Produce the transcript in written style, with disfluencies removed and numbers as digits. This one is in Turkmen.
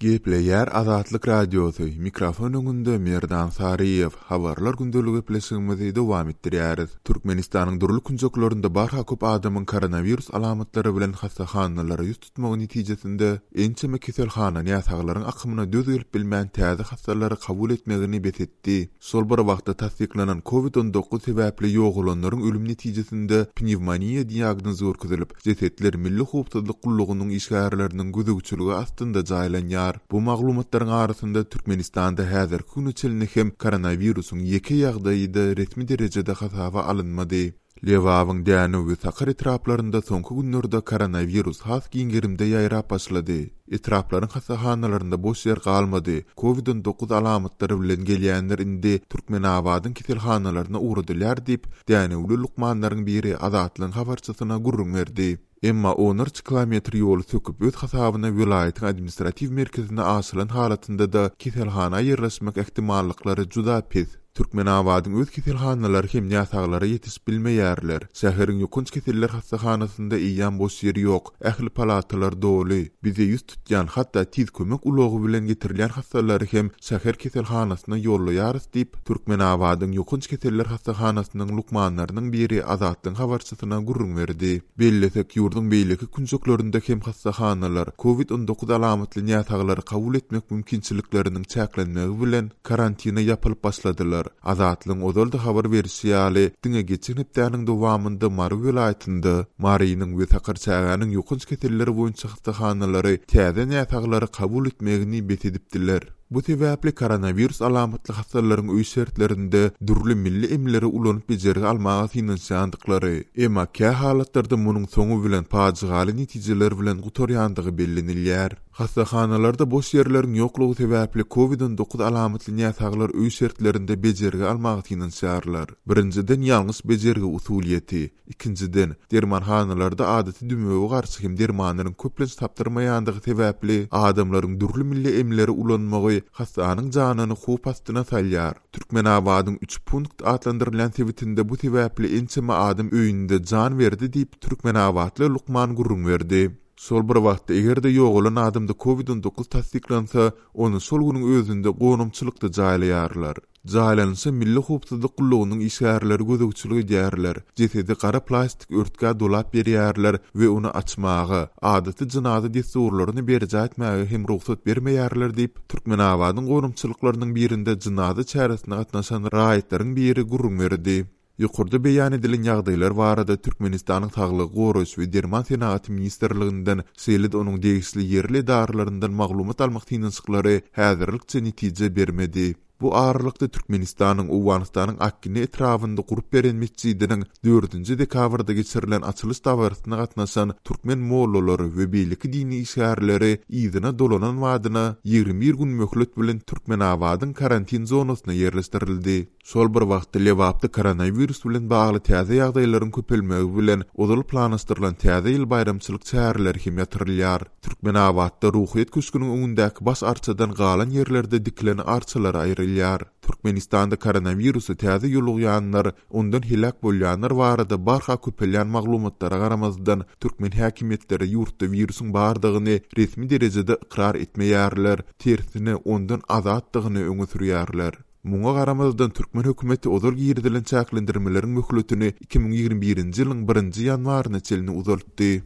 Gepleýär Azatlyk Radiosy, mikrofon öňünde Merdan Saryýew, Habarlar gündelik gepleşigimizi dowam etdirýäris. Türkmenistanyň dürli künjeklerinde barha köp adamyň koronawirus alamatlary bilen hassahanalara ýüz tutmagy netijesinde, ençeme keselhana näsaglaryň akymyna döz gelip bilmän täze hassalary kabul etmegini bes etdi. Şol bir wagtda tassyklanan Covid 19 sebäpli ýogalanlaryň ölüm netijesinde pnewmoniýa diagnozy görkezilip, jesetler Milli howpsuzlyk gullugynyň işgärleriniň gözegçiligi astynda jaýlanýar. Bu maglumatlaryň arasynda Türkmenistanda häzirki güne çenli hem koronawirusyň ýeke ýagdaýy-da resmi derejede hasaba alynmady. Lebabyň Dänew we Sakar etraplarynda soňky günlerde koronawirus has giň gerimde ýaýrap başlady. Etraplaryň hassahanalarynda boş ýer galmady. Covid 19 alamatlary bilen gelýänler indi Türkmenabadyň keselhanalaryna ugradylýar diýip, dänewli lukmanlaryň biri Azatlygyň habarçysyna gürrüň berdi. Emma onlarça kilometr ýoly söküp öz hasabyna welaýatyň administratiw merkezine aşylan halatynda-da keselhana ýerleşmek ähtimallyklary juda pes. Türkmenabadyň öz keselhanalary hem näsaglara ýetişip bilmeýärler. Şäheriň ýokanç keseller hassahanasynda eýýäm boş ýer ýok, ähli palatalar doly. Bize ýüz tutýan, hatda tiz kömek ulagy bilen getirilýän hassalary hem şäher keselhanasyna ýollaýarys diýip, Türkmenabadyň ýokanç keseller hassahanasynyň lukmanlarynyň biri Azatlygyň habarçysyna gürrüň berdi. Bellesek, ýurduň beýleki künjeklerinde hem hassahanalar Covid 19 alamatly näsaglary kabul etmek mümkinçilikleriniň çäklenmegi bilen karantine ýapylyp başladylar. Azatlygyň ozal-da habar berşi ýaly, diňe geçen hepdäniň dowamynda Mary welaýatynda Marynyň we Sakarçägäniň ýokanç keselleri boýunça hassahanalary täze näsaglary kabul etmegini bes edipdiler. Bu sebäpli koronawirus alamatly hassalaryň öý şertlerinde dürli milli emleri ulanyp bejergi almaga synanyşýandyklary, emma kä halatlarda munuň soňy bilen pajygaly netijeler bilen gutarýandygy bellenilýär. Hassahanalarda boş ýerleriň ýoklugy sebäpli Covid 19 alamatly näsaglar öý şertlerinde bejergi almaga synanyşýarlar. Birinjiden ýalňyş bejergi usulyýeti, Ikinjiden, dermanhanalarda adaty dümewe garşy hem dermanlaryň köplenç tapdyrmaýandygy sebäpli, adamlaryň dürli milli emleri ulanmagy hassanyň janyny howp astyna salýar. Türkmenabadyň Üç punkt atlandyrylýan sebitinde bu sebäpli ençeme adam öýünde jan berdi diýip, türkmenabatly lukman gürrüň berdi. Şol bir wagtda, eger-de ýogalan adamda Covid 19 tassyklansa, ony şol günüň özünde gonamçylykda jaýlaýarlar. Jaýlanyşa Milli howpsuzlyk gullugynyň işgärleri gözegçilik edýärler, jesedi gara plastik örtgä dolap berýärler we ony açmaga, adaty jynaza dessurlaryny berjaý etmäge hem rugsat bermeýärler diýip, Türkmenabadyň gonamçylyklarynyň birinde jynaza çäresine gatnaşan raýatlaryň biri gürrüň berdi. Ýokarda beýan edilen ýagdaýlar barada Türkmenistanyň Saglygy goraýyş we derman senagaty ministrliginden, şeýle-de onuň degişli ýerli edaralaryndan maglumat almak synanyşyklary häzirlikçe netije bermedi. Bu aralykda Türkmenistanyň Owganystanyň Akgine etrabynda gurup beren metjidiniň dördünji dekabrda geçirilen açylyş dabarasyna gatnaşan türkmen mollalary we beýleki dini işgärleri yzyna dolanan badyna 21 gün möhlet bilen Türkmenabadyň karantin zonasyna ýerleşdirildi. Şol bir wagtda Lebapda koronawirus bilen bagly täze ýagdaýlaryň köpelmegi bilen ozal planlaşdyrylan Täze ýyl baýramçylyk çäreleri hem ýatyrylýar. Türkmenabatda Ruhyýet köşgüniň öňündäki baş arçadan galan ýerlerde dikilen arçalar aýrylýar. Türkmenistanda koronawirusa täze ýolugýanlar, ondan heläk bolýanlar barada barha köpelýän maglumatlara garamazdan, türkmen häkimiýetleri ýurtda wirusyň bardygyny resmi derejede ykrar etmeýärler, tersine ondan azatdygyny öňe sürýärler. Muňa garamazdan, türkmen hökümeti ozal girizilen çäklendirmeleriň möhletini 2021-nji ýylyň birinji ýanwaryna çenli uzaltdy.